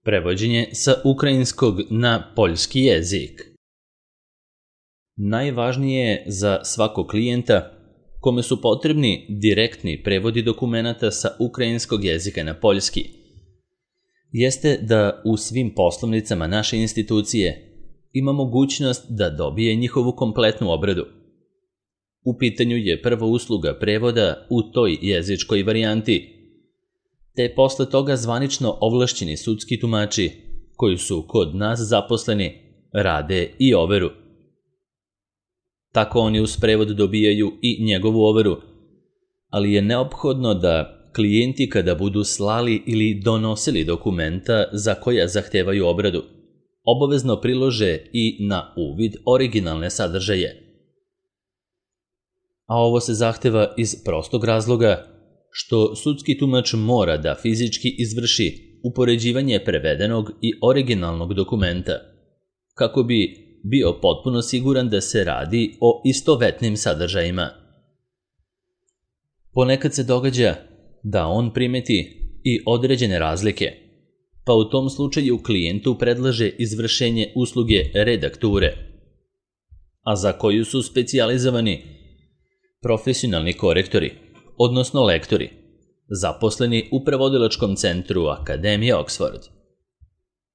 Prevođenje sa ukrajinskog na poljski jezik. Najvažnije je za svakog klijenta kome su potrebni direktni prevodi dokumenata sa ukrajinskog jezika na poljski, jeste da u svim poslovnicama naše institucije ima mogućnost da dobije njihovu kompletnu obradu. U pitanju je prva usluga prevoda u toj jezičkoj varijanti, te posle toga zvanično ovlašćeni sudski tumači koji su kod nas zaposleni rade i overu. Tako oni uz prevod dobijaju i njegovu overu, ali je neophodno da klijenti kada budu slali ili donosili dokumenta za koja zahtevaju obradu, obavezno prilože i na uvid originalne sadržaje. A ovo se zahteva iz prostog razloga što sudski tumač mora da fizički izvrši upoređivanje prevedenog i originalnog dokumenta, kako bi bio potpuno siguran da se radi o istovetnim sadržajima. Ponekad se događa da on primeti i određene razlike, pa u tom slučaju klijentu predlaže izvršenje usluge redakture, a za koju su specijalizovani profesionalni korektori, odnosno lektori, zaposleni u prevodilačkom centru Akademije Oxford.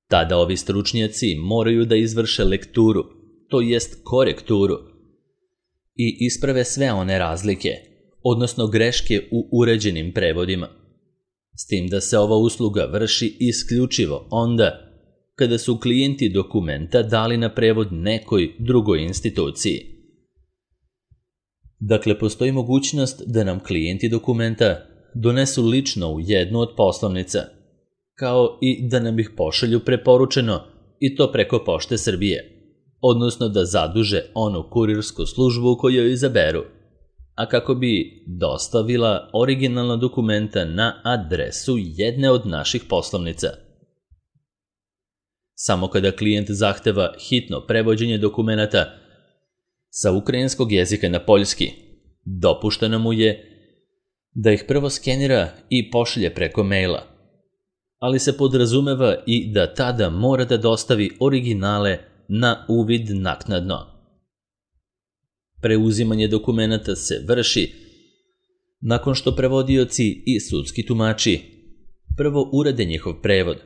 Tada ovi stručnjaci moraju da izvrše lekturu, to jest korekturu, i isprave sve one razlike, odnosno greške u uređenim prevodima, s tim da se ova usluga vrši isključivo onda kada su klijenti dokumenta dali na prevod nekoj drugoj instituciji. Dakle, postoji mogućnost da nam klijenti dokumenta donesu lično u jednu od poslovnica, kao i da nam ih pošalju preporučeno i to preko Pošte Srbije, odnosno da zaduže onu kurirsku službu koju izaberu, a kako bi dostavila originalna dokumenta na adresu jedne od naših poslovnica. Samo kada klijent zahteva hitno prevođenje dokumenata sa ukrajinskog jezika na poljski, dopušteno mu je da ih prvo skenira i pošalje preko maila, ali se podrazumeva i da tada mora da dostavi originale na uvid naknadno. Preuzimanje dokumenata se vrši nakon što prevodioci i sudski tumači prvo urade njihov prevod,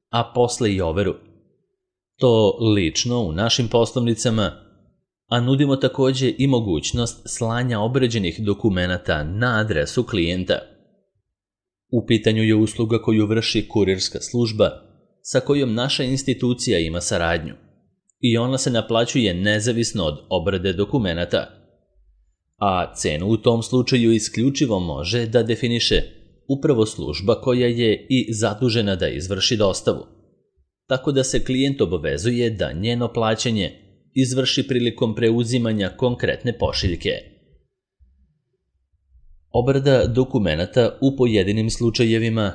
a posle i overu. To lično u našim poslovnicama, a nudimo takođe i mogućnost slanja obrađenih dokumenata na adresu klijenta. U pitanju je usluga koju vrši kurirska služba sa kojom naša institucija ima saradnju i ona se naplaćuje nezavisno od obrade dokumenata, a cenu u tom slučaju isključivo može da definiše upravo služba koja je i zadužena da izvrši dostavu, tako da se klijent obavezuje da njeno plaćanje izvrši prilikom preuzimanja konkretne pošiljke. Obrada dokumenata u pojedinim slučajevima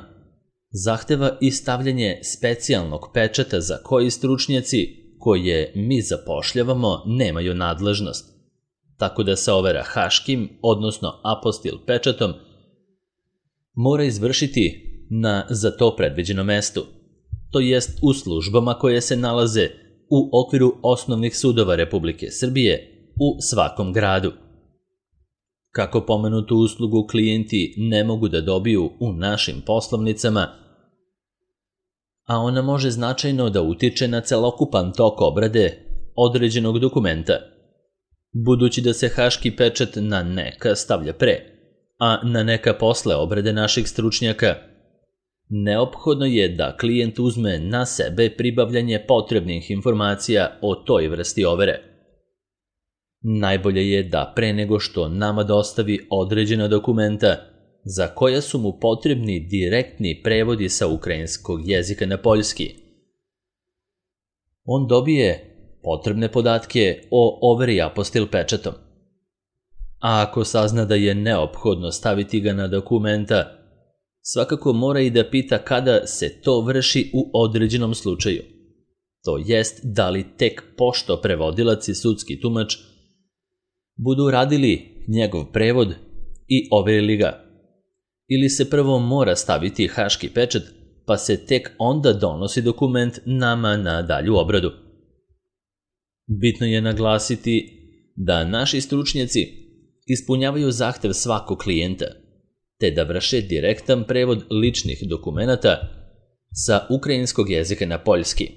zahteva i stavljanje specijalnog pečata za koji stručnjaci koje mi zapošljavamo nemaju nadležnost, tako da se overa haškim, odnosno apostil pečatom, mora izvršiti na za to predviđenom mestu, to jest u službama koje se nalaze u okviru osnovnih sudova Republike Srbije u svakom gradu. Kako pomenutu uslugu klijenti ne mogu da dobiju u našim poslovnicama, a ona može značajno da utiče na celokupan tok obrade određenog dokumenta, budući da se haški pečat na neka stavlja pre, a na neka posle obrade naših stručnjaka, neophodno je da klijent uzme na sebe pribavljanje potrebnih informacija o toj vrsti overe. Najbolje je da pre nego što nama dostavi određena dokumenta za koja su mu potrebni direktni prevodi sa ukrajinskog jezika na poljski, on dobije potrebne podatke o overi apostil pečatom. A ako sazna da je neophodno staviti ga na dokumenta, svakako mora i da pita kada se to vrši u određenom slučaju. To jest da li tek pošto prevodilac i sudski tumač budu radili njegov prevod i overili ga, ili se prvo mora staviti haški pečat pa se tek onda donosi dokument nama na dalju obradu. Bitno je naglasiti da naši stručnjaci ispunjavaju zahtev svakog klijenta, te da vrše direktan prevod ličnih dokumenata sa ukrajinskog jezika na poljski.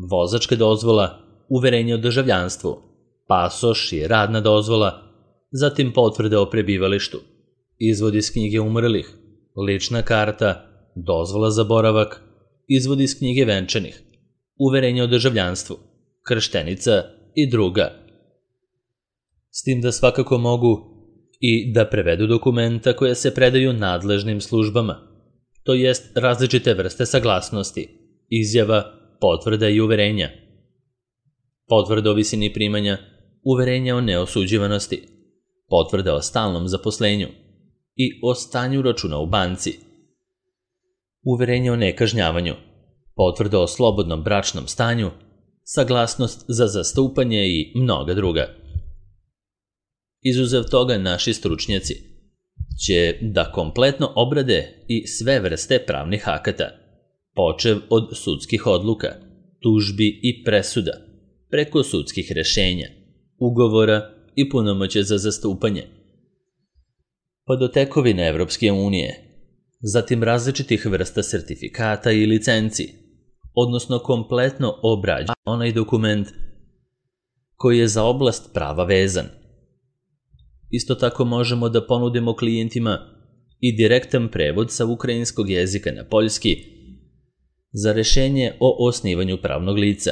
Vozačka dozvola, uverenje o državljanstvu, pasoš i radna dozvola, zatim potvrde o prebivalištu, izvod iz knjige umrlih, lična karta, dozvola za boravak, izvod iz knjige venčanih, uverenje o državljanstvu, krštenica i druga. S tim da svakako mogu i da prevedu dokumenta koja se predaju nadležnim službama, to jest različite vrste saglasnosti, izjava, potvrda i uverenja. Potvrda o visini primanja, uverenja o neosuđivanosti, potvrda o stalnom zaposlenju i o stanju računa u banci, uverenje o nekažnjavanju, potvrda o slobodnom bračnom stanju, saglasnost za zastupanje i mnoga druga. Izuzev toga, naši stručnjaci će da kompletno obrade i sve vrste pravnih akata, počev od sudskih odluka, tužbi i presuda, preko sudskih rešenja, ugovora i punomoćja za zastupanje, pa do tekovine Evropske unije, zatim različitih vrsta sertifikata i licenci, odnosno kompletno obrađuje onaj dokument koji je za oblast prava vezan. Isto tako možemo da ponudimo klijentima i direktan prevod sa ukrajinskog jezika na poljski za rešenje o osnivanju pravnog lica,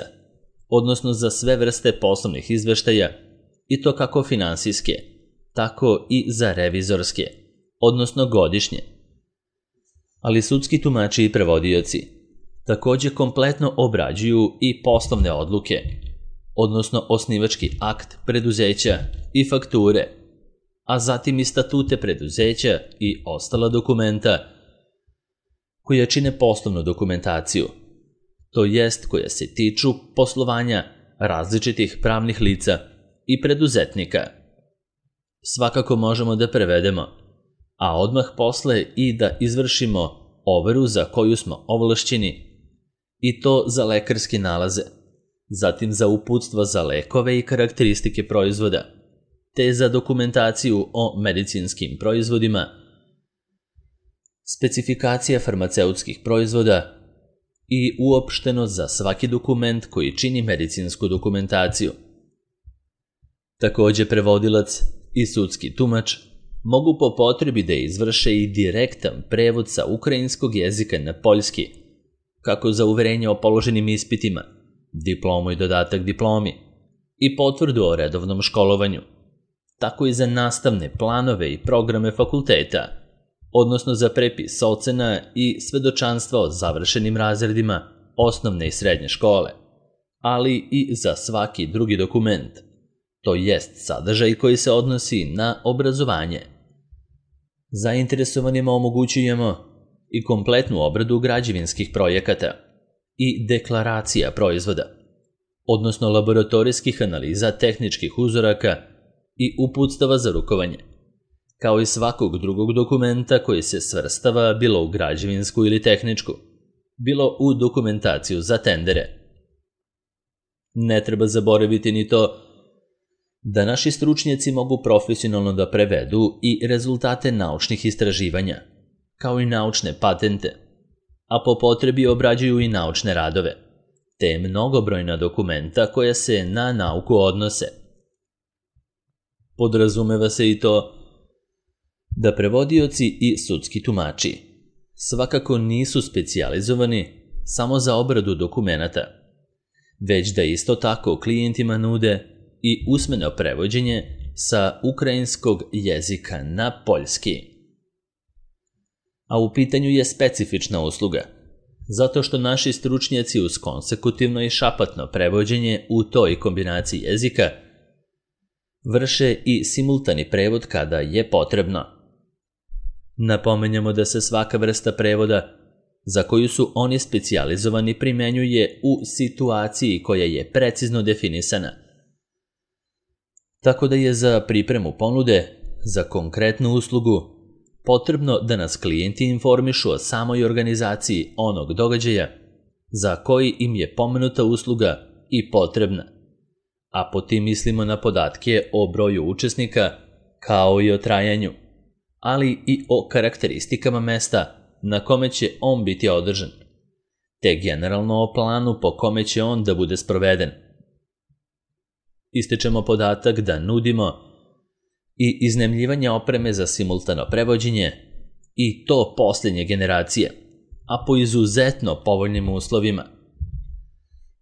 odnosno za sve vrste poslovnih izveštaja, i to kako finansijske, tako i za revizorske, odnosno godišnje. Ali sudski tumači i prevodioci takođe kompletno obrađuju i poslovne odluke, odnosno osnivački akt preduzeća i fakture, a zatim i statute preduzeća i ostala dokumenta koja čine poslovnu dokumentaciju, to jest koja se tiču poslovanja različitih pravnih lica i preduzetnika. Svakako možemo da prevedemo, a odmah posle i da izvršimo overu za koju smo ovlašćeni, i to za lekarske nalaze, zatim za uputstva za lekove i karakteristike proizvoda, te za dokumentaciju o medicinskim proizvodima, specifikacija farmaceutskih proizvoda i uopšteno za svaki dokument koji čini medicinsku dokumentaciju. Takođe, prevodilac i sudski tumač mogu po potrebi da izvrše i direktan prevod sa ukrajinskog jezika na poljski, kako za uverenje o položenim ispitima, diplomu i dodatak diplomi i potvrdu o redovnom školovanju, tako i za nastavne planove i programe fakulteta, odnosno za prepis ocena i svedočanstva o završenim razredima osnovne i srednje škole, ali i za svaki drugi dokument, to jest sadržaj koji se odnosi na obrazovanje. Zainteresovanima omogućujemo i kompletnu obradu građevinskih projekata i deklaracija proizvoda, odnosno laboratorijskih analiza tehničkih uzoraka i uputstava za rukovanje, kao i svakog drugog dokumenta koji se svrstava bilo u građevinsku ili tehničku, bilo u dokumentaciju za tendere. Ne treba zaboraviti ni to da naši stručnjaci mogu profesionalno da prevedu i rezultate naučnih istraživanja, kao i naučne patente, a po potrebi obrađuju i naučne radove, te mnogobrojna dokumenta koja se na nauku odnose. Podrazumeva se i to da prevodioci i sudski tumači svakako nisu specijalizovani samo za obradu dokumenata, već da isto tako klijentima nude i usmeno prevođenje sa ukrajinskog jezika na poljski. A u pitanju je specifična usluga, zato što naši stručnjaci uz konsekutivno i šapatno prevođenje u toj kombinaciji jezika vrše i simultani prevod kada je potrebno. Napomenjamo da se svaka vrsta prevoda za koju su oni specijalizovani primenjuje u situaciji koja je precizno definisana, tako da je za pripremu ponude za konkretnu uslugu potrebno da nas klijenti informišu o samoj organizaciji onog događaja za koji im je pomenuta usluga i potrebna, a po tim mislimo na podatke o broju učesnika kao i o trajanju, ali i o karakteristikama mesta na kome će on biti održan, te generalno o planu po kome će on da bude sproveden. Ističemo podatak da nudimo i iznajmljivanje opreme za simultano prevođenje i to posljednje generacije, a po izuzetno povoljnim uslovima.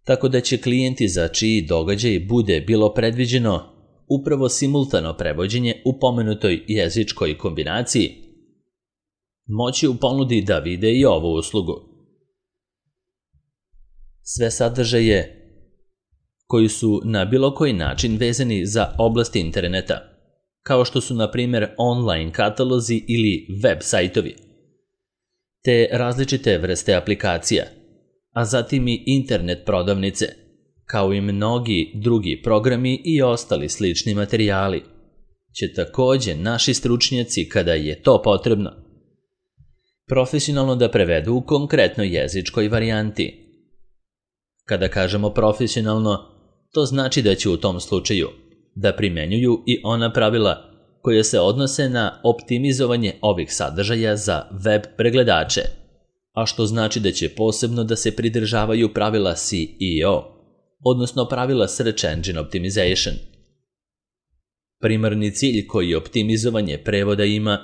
Tako da će klijenti za čiji događaj bude bilo predviđeno upravo simultano prevođenje u pomenutoj jezičkoj kombinaciji, moći u ponudi da vide i ovu uslugu. Sve sadržaje koji su na bilo koji način vezani za oblast interneta, kao što su na primjer online katalozi ili web sajtovi, te različite vrste aplikacija, a zatim i internet prodavnice, kao i mnogi drugi programi i ostali slični materijali, će također naši stručnjaci, kada je to potrebno, profesionalno da prevedu u konkretnoj jezičkoj varijanti. Kada kažemo profesionalno, to znači da će u tom slučaju da primenjuju i ona pravila koje se odnose na optimizovanje ovih sadržaja za web pregledače, a što znači da će posebno da se pridržavaju pravila SEO, odnosno pravila Search Engine Optimization. Primarni cilj koji optimizovanje prevoda ima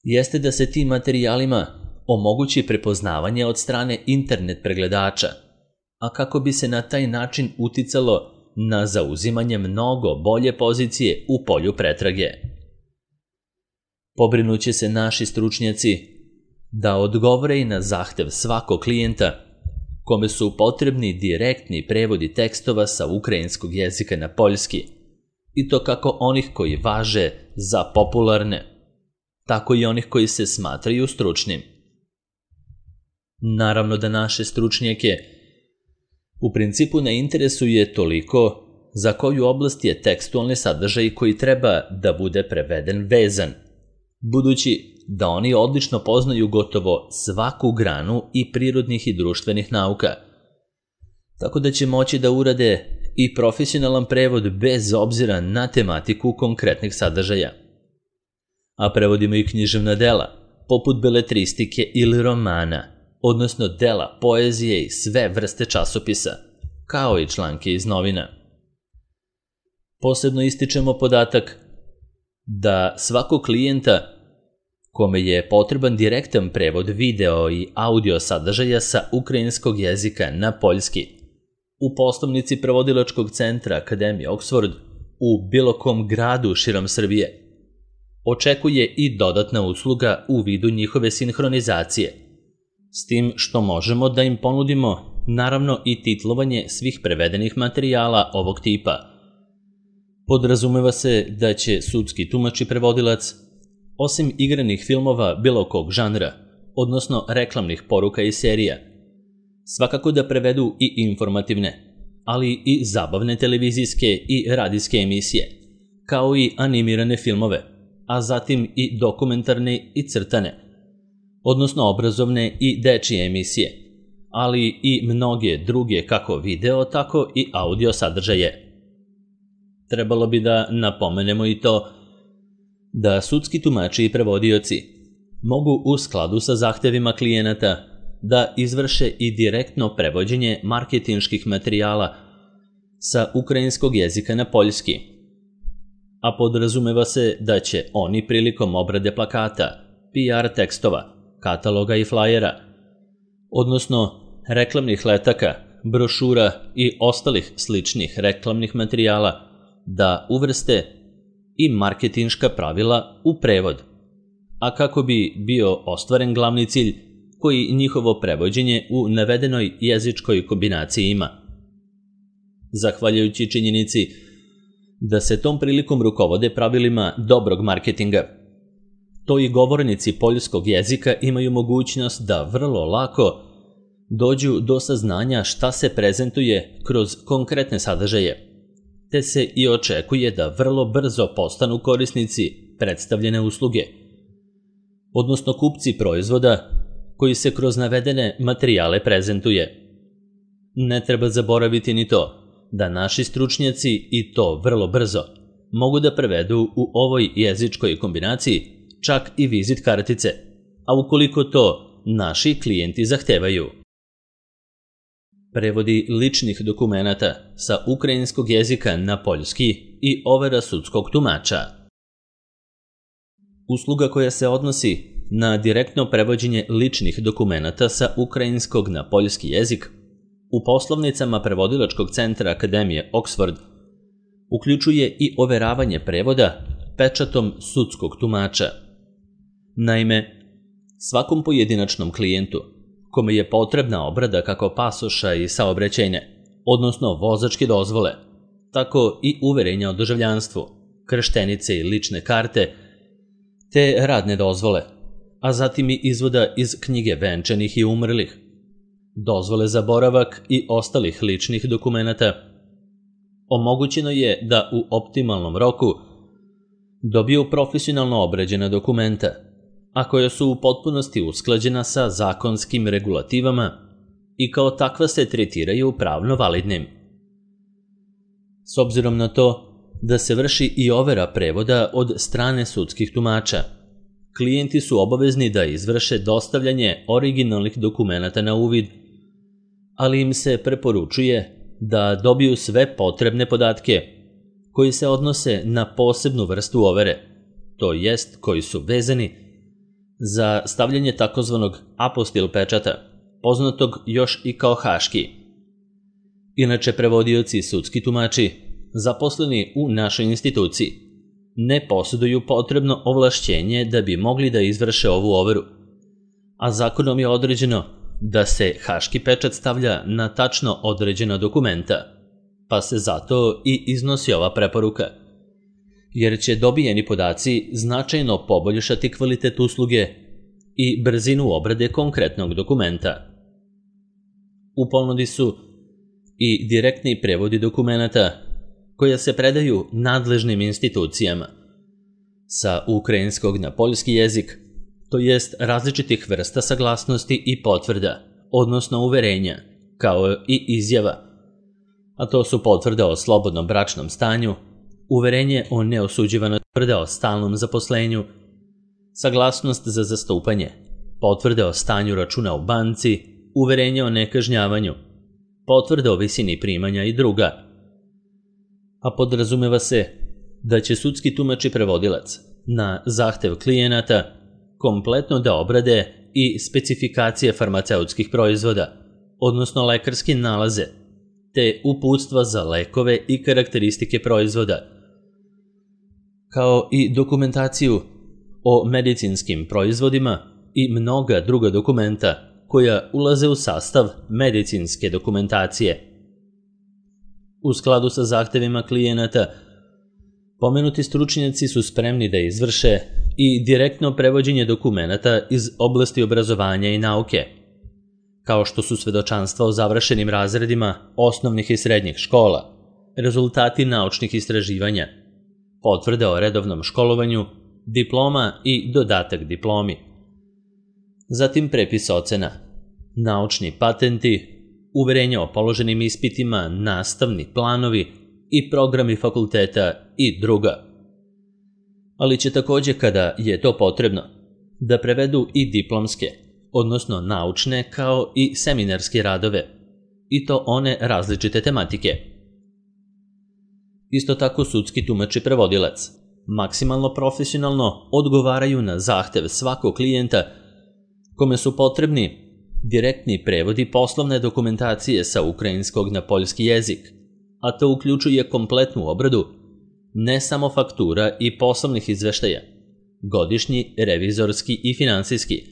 jeste da se tim materijalima omogući prepoznavanje od strane internet pregledača, a kako bi se na taj način uticalo na zauzimanje mnogo bolje pozicije u polju pretrage. Pobrinuće se naši stručnjaci da odgovore i na zahtev svakog klijenta kome su potrebni direktni prevodi tekstova sa ukrajinskog jezika na poljski, i to kako onih koji važe za popularne, tako i onih koji se smatraju stručnim. Naravno da naše stručnjake u principu ne interesuje toliko za koju oblast je tekstualni sadržaj koji treba da bude preveden vezan, budući da oni odlično poznaju gotovo svaku granu i prirodnih i društvenih nauka, tako da će moći da urade i profesionalan prevod bez obzira na tematiku konkretnih sadržaja. A prevodimo i književna dela, poput beletristike ili romana, odnosno dela poezije i sve vrste časopisa, kao i članke iz novina. Posebno ističemo podatak da svakog klijenta kome je potreban direktan prevod video i audio sadržaja sa ukrajinskog jezika na poljski, u poslovnici prevodilačkog centra Akademije Oxford u bilo kom gradu širom Srbije očekuje i dodatna usluga u vidu njihove sinhronizacije, s tim što možemo da im ponudimo naravno i titlovanje svih prevedenih materijala ovog tipa. Podrazumeva se da će sudski tumač i prevodilac, osim igranih filmova bilo kog žanra, odnosno reklamnih poruka i serija, svakako da prevedu i informativne, ali i zabavne televizijske i radijske emisije, kao i animirane filmove, a zatim i dokumentarne i crtane, odnosno obrazovne i dečije emisije, ali i mnoge druge kako video, tako i audio sadržaje. Trebalo bi da napomenemo i to da sudski tumači i prevodioci mogu u skladu sa zahtevima klijenata da izvrše i direktno prevođenje marketinških materijala sa ukrajinskog jezika na poljski, a podrazumeva se da će oni prilikom obrade plakata, PR tekstova, kataloga i flajera, odnosno reklamnih letaka, brošura i ostalih sličnih reklamnih materijala da uvrste i marketinška pravila u prevod, a kako bi bio ostvaren glavni cilj koji njihovo prevođenje u navedenoj jezičkoj kombinaciji ima. Zahvaljujući činjenici da se tom prilikom rukovode pravilima dobrog marketinga, to i govornici poljskog jezika imaju mogućnost da vrlo lako dođu do saznanja šta se prezentuje kroz konkretne sadržaje, te se i očekuje da vrlo brzo postanu korisnici predstavljene usluge, odnosno kupci proizvoda koji se kroz navedene materijale prezentuje. Ne treba zaboraviti ni to da naši stručnjaci, i to vrlo brzo, mogu da prevedu u ovoj jezičkoj kombinaciji čak i vizit kartice, a ukoliko to naši klijenti zahtevaju. Prevodi ličnih dokumenata sa ukrajinskog jezika na poljski i overa sudskog tumača. Usluga koja se odnosi na direktno prevođenje ličnih dokumenata sa ukrajinskog na poljski jezik u poslovnicama prevodilačkog centra Akademije Oxford uključuje i overavanje prevoda pečatom sudskog tumača. Naime, svakom pojedinačnom klijentu kome je potrebna obrada kako pasoša i saobraćajne, odnosno vozačke dozvole, tako i uverenja o državljanstvu, krštenice i lične karte, te radne dozvole, a zatim i izvoda iz knjige venčanih i umrlih, dozvole za boravak i ostalih ličnih dokumenata, omogućeno je da u optimalnom roku dobiju profesionalno obrađena dokumenta, a koja su u potpunosti usklađena sa zakonskim regulativama i kao takva se tretiraju pravno validnim. S obzirom na to da se vrši i overa prevoda od strane sudskih tumača, klijenti su obavezni da izvrše dostavljanje originalnih dokumenata na uvid, ali im se preporučuje da dobiju sve potrebne podatke koji se odnose na posebnu vrstu overe, to jest koji su vezani za stavljanje takozvanog apostil pečata, poznatog još i kao haški. Inače, prevodioci i sudski tumači, zaposleni u našoj instituciji, ne posjeduju potrebno ovlašćenje da bi mogli da izvrše ovu overu, a zakonom je određeno da se haški pečat stavlja na tačno određena dokumenta, pa se zato i iznosi ova preporuka, jer će dobijeni podaci značajno poboljšati kvalitet usluge i brzinu obrade konkretnog dokumenta. U ponudi su i direktni prevodi dokumenata koja se predaju nadležnim institucijama sa ukrajinskog na poljski jezik, to jest različitih vrsta saglasnosti i potvrda, odnosno uverenja, kao i izjava, a to su potvrda o slobodnom bračnom stanju, uverenje o neosuđivanoj, potvrda o stalnom zaposlenju, saglasnost za zastupanje, potvrda o stanju računa u banci, uverenje o nekažnjavanju, potvrda o visini primanja i druga. A podrazumeva se da će sudski tumač i prevodilac na zahtev klijenata kompletno da obrade i specifikacije farmaceutskih proizvoda, odnosno lekarske nalaze, te uputstva za lekove i karakteristike proizvoda, kao i dokumentaciju o medicinskim proizvodima i mnoga druga dokumenta koja ulaze u sastav medicinske dokumentacije. U skladu sa zahtevima klijenata, pomenuti stručnjaci su spremni da izvrše i direktno prevođenje dokumenata iz oblasti obrazovanja i nauke, kao što su svedočanstva o završenim razredima osnovnih i srednjih škola, rezultati naučnih istraživanja, potvrde o redovnom školovanju, diploma i dodatak diplomi. Zatim prepis ocena, naučni patenti, uverenja o položenim ispitima, nastavni planovi i programi fakulteta i druga. Ali će takođe, kada je to potrebno, da prevedu i diplomske, odnosno naučne kao i seminarske radove, i to one različite tematike. Isto tako sudski tumač i prevodilac maksimalno profesionalno odgovaraju na zahtev svakog klijenta kome su potrebni direktni prevodi poslovne dokumentacije sa ukrajinskog na poljski jezik, a to uključuje kompletnu obradu ne samo faktura i poslovnih izveštaja, godišnji, revizorski i finansijski,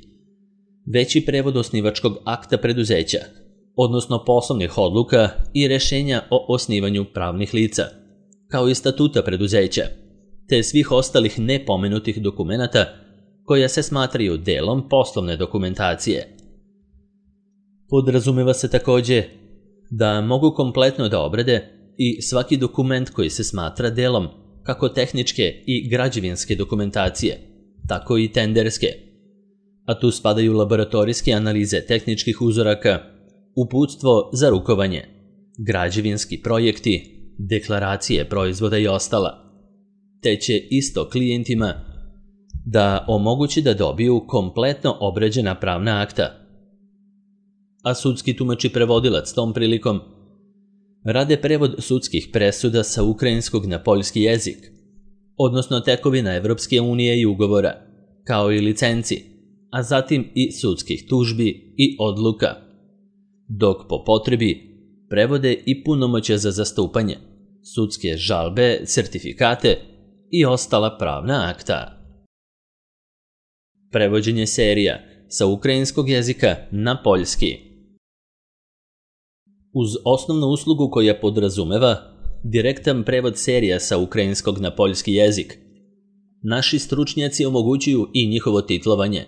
već i prevod osnivačkog akta preduzeća, odnosno poslovnih odluka i rešenja o osnivanju pravnih lica, kao i statuta preduzeća, te svih ostalih nepomenutih dokumenata koja se smatraju delom poslovne dokumentacije. Podrazumeva se takođe da mogu kompletno da obrade i svaki dokument koji se smatra delom kako tehničke i građevinske dokumentacije, tako i tenderske, a tu spadaju laboratorijske analize tehničkih uzoraka, uputstvo za rukovanje, građevinski projekti, deklaracije proizvoda i ostala, te će isto klijentima da omogući da dobiju kompletno obrađena pravna akta. A sudski tumač i prevodilac tom prilikom rade prevod sudskih presuda sa ukrajinskog na poljski jezik, odnosno tekovina Evropske unije i ugovora, kao i licenci, a zatim i sudskih tužbi i odluka, dok po potrebi prevode i punomoćja za zastupanje, sudske žalbe, sertifikate i ostala pravna akta. Prevođenje serija sa ukrajinskog jezika na poljski. Uz osnovnu uslugu koja podrazumeva direktan prevod serija sa ukrajinskog na poljski jezik, naši stručnjaci omogućuju i njihovo titlovanje,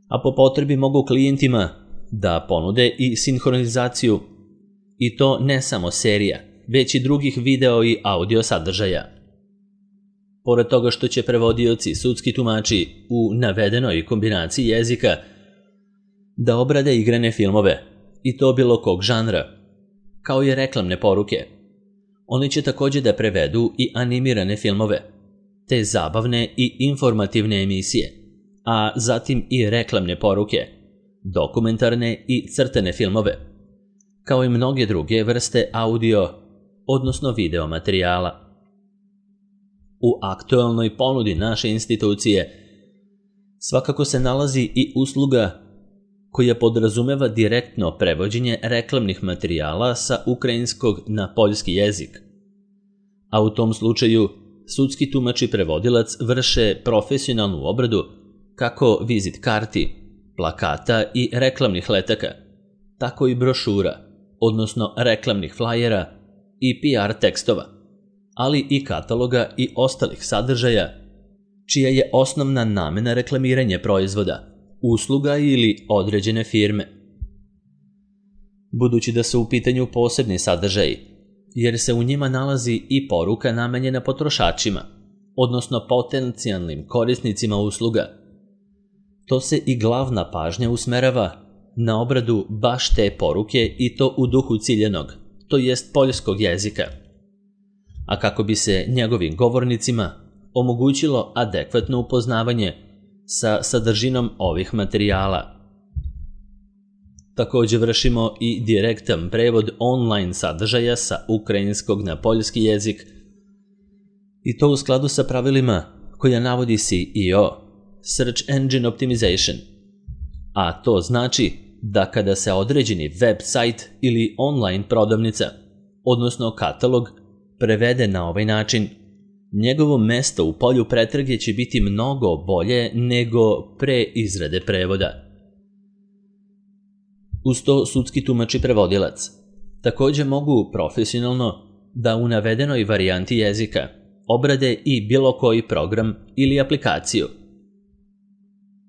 a po potrebi mogu klijentima da ponude i sinhronizaciju, i to ne samo serija, već i drugih video i audio sadržaja. Pored toga što će prevodioci, sudski tumači u navedenoj kombinaciji jezika da obrade igrane filmove, i to bilo kog žanra, kao i reklamne poruke. Oni će također da prevedu i animirane filmove, te zabavne i informativne emisije, a zatim i reklamne poruke, dokumentarne i crtane filmove, kao i mnoge druge vrste audio, odnosno video materijala. U aktualnoj ponudi naše institucije svakako se nalazi i usluga koja podrazumeva direktno prevođenje reklamnih materijala sa ukrajinskog na poljski jezik. A u tom slučaju sudski tumač i prevodilac vrše profesionalnu obradu kako vizit karti, plakata i reklamnih letaka, tako i brošura, odnosno reklamnih flajera i PR tekstova, ali i kataloga i ostalih sadržaja, čija je osnovna namena reklamiranje proizvoda, usluga ili određene firme. Budući da su u pitanju posebni sadržaji, jer se u njima nalazi i poruka namenjena potrošačima, odnosno potencijalnim korisnicima usluga, to se i glavna pažnja usmerava na obradu baš te poruke i to u duhu ciljanog, to jest poljskog jezika, a kako bi se njegovim govornicima omogućilo adekvatno upoznavanje sa sadržinom ovih materijala. Također vršimo i direktan prevod online sadržaja sa ukrajinskog na poljski jezik, i to u skladu sa pravilima koja navodi SEO, Search Engine Optimization, a to znači da kada se određeni web sajt ili online prodavnica, odnosno katalog, prevede na ovaj način, njegovo mesto u polju pretrage će biti mnogo bolje nego pre izrade prevoda. Uz to sudski tumač i prevodilac također mogu profesionalno da u navedenoj varijanti jezika obrade i bilo koji program ili aplikaciju.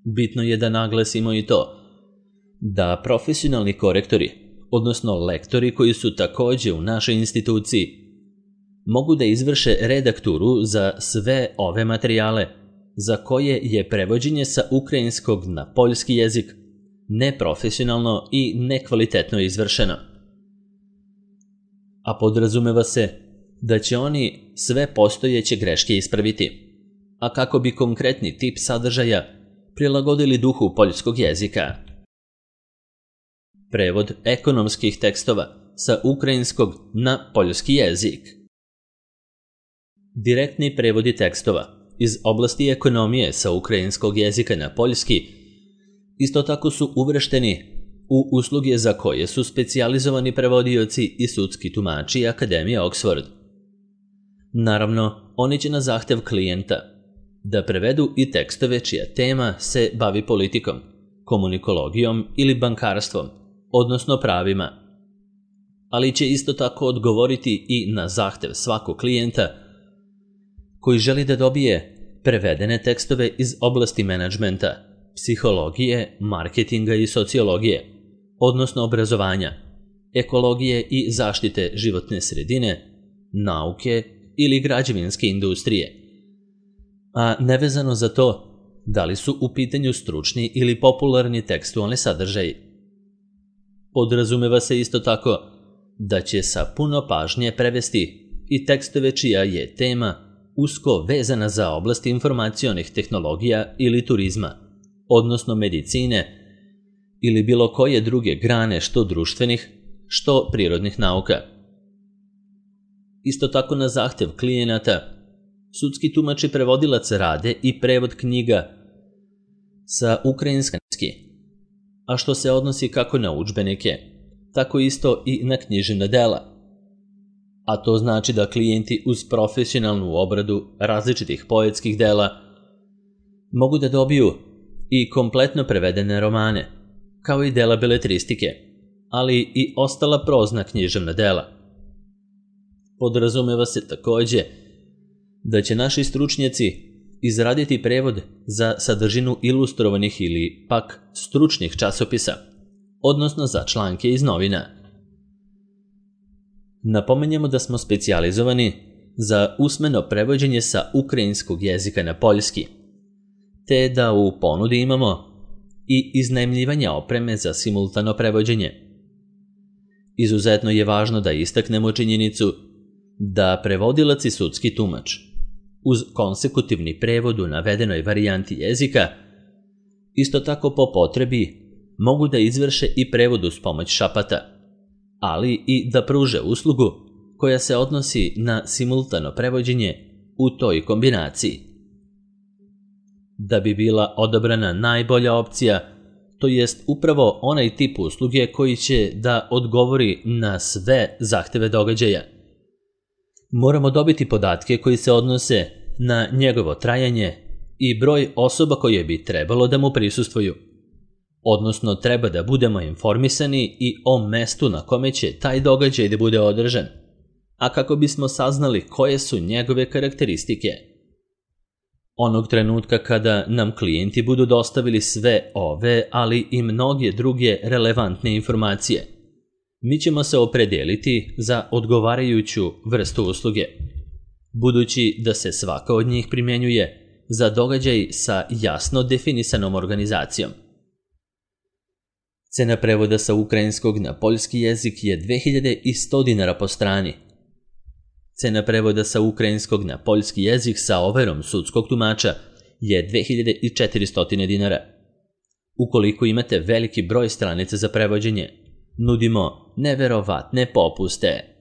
Bitno je da naglasimo i to da profesionalni korektori, odnosno lektori koji su također u našoj instituciji, mogu da izvrše redakturu za sve ove materijale za koje je prevođenje sa ukrajinskog na poljski jezik neprofesionalno i nekvalitetno izvršeno. A podrazumeva se da će oni sve postojeće greške ispraviti, a kako bi konkretni tip sadržaja prilagodili duhu poljskog jezika. Prevod ekonomskih tekstova sa ukrajinskog na poljski jezik. Direktni prevodi tekstova iz oblasti ekonomije sa ukrajinskog jezika na poljski isto tako su uvršteni u usluge za koje su specijalizovani prevodioci i sudski tumači Akademije Oxford. Naravno, oni će na zahtev klijenta da prevedu i tekstove čija tema se bavi politikom, komunikologijom ili bankarstvom, odnosno pravima. Ali će isto tako odgovoriti i na zahtev svakog klijenta koji želi da dobije prevedene tekstove iz oblasti menadžmenta, psihologije, marketinga i sociologije, odnosno obrazovanja, ekologije i zaštite životne sredine, nauke ili građevinske industrije. A nevezano za to, da li su u pitanju stručni ili popularni tekstualni sadržaji. Podrazumeva se isto tako da će sa puno pažnje prevesti i tekstove čija je tema usko vezana za oblast informacionih tehnologija ili turizma, odnosno medicine ili bilo koje druge grane što društvenih, što prirodnih nauka. Isto tako na zahtev klijenata, sudski tumač i prevodilac rade i prevod knjiga sa ukrajinski, a što se odnosi kako na udžbenike, tako isto i na književna dela. A to znači da klijenti uz profesionalnu obradu različitih poetskih dela mogu da dobiju i kompletno prevedene romane, kao i dela beletristike, ali i ostala prozna književna dela. Podrazumeva se takođe da će naši stručnjaci izraditi prevod za sadržinu ilustrovanih ili pak stručnih časopisa, odnosno za članke iz novina. Napomenjemo da smo specijalizovani za usmeno prevođenje sa ukrajinskog jezika na poljski, te da u ponudi imamo i iznajmljivanje opreme za simultano prevođenje. Izuzetno je važno da istaknemo činjenicu da prevodilac i sudski tumač uz konsekutivni prevod u navedenoj varijanti jezika isto tako po potrebi mogu da izvrše i prevod uz pomoć šapata, ali i da pruže uslugu koja se odnosi na simultano prevođenje u toj kombinaciji. Da bi bila odabrana najbolja opcija, to jest upravo onaj tip usluge koji će da odgovori na sve zahteve događaja. Moramo dobiti podatke koji se odnose na njegovo trajanje i broj osoba koje bi trebalo da mu prisustvuju. Odnosno, treba da budemo informisani i o mestu na kome će taj događaj da bude održan, a kako bismo saznali koje su njegove karakteristike. Onog trenutka kada nam klijenti budu dostavili sve ove, ali i mnoge druge relevantne informacije, mi ćemo se opredeliti za odgovarajuću vrstu usluge, budući da se svaka od njih primjenjuje za događaj sa jasno definisanom organizacijom. Cena prevoda sa ukrajinskog na poljski jezik je 2100 dinara po strani. Cena prevoda sa ukrajinskog na poljski jezik sa overom sudskog tumača je 2400 dinara. Ukoliko imate veliki broj stranica za prevođenje, nudimo neverovatne popuste.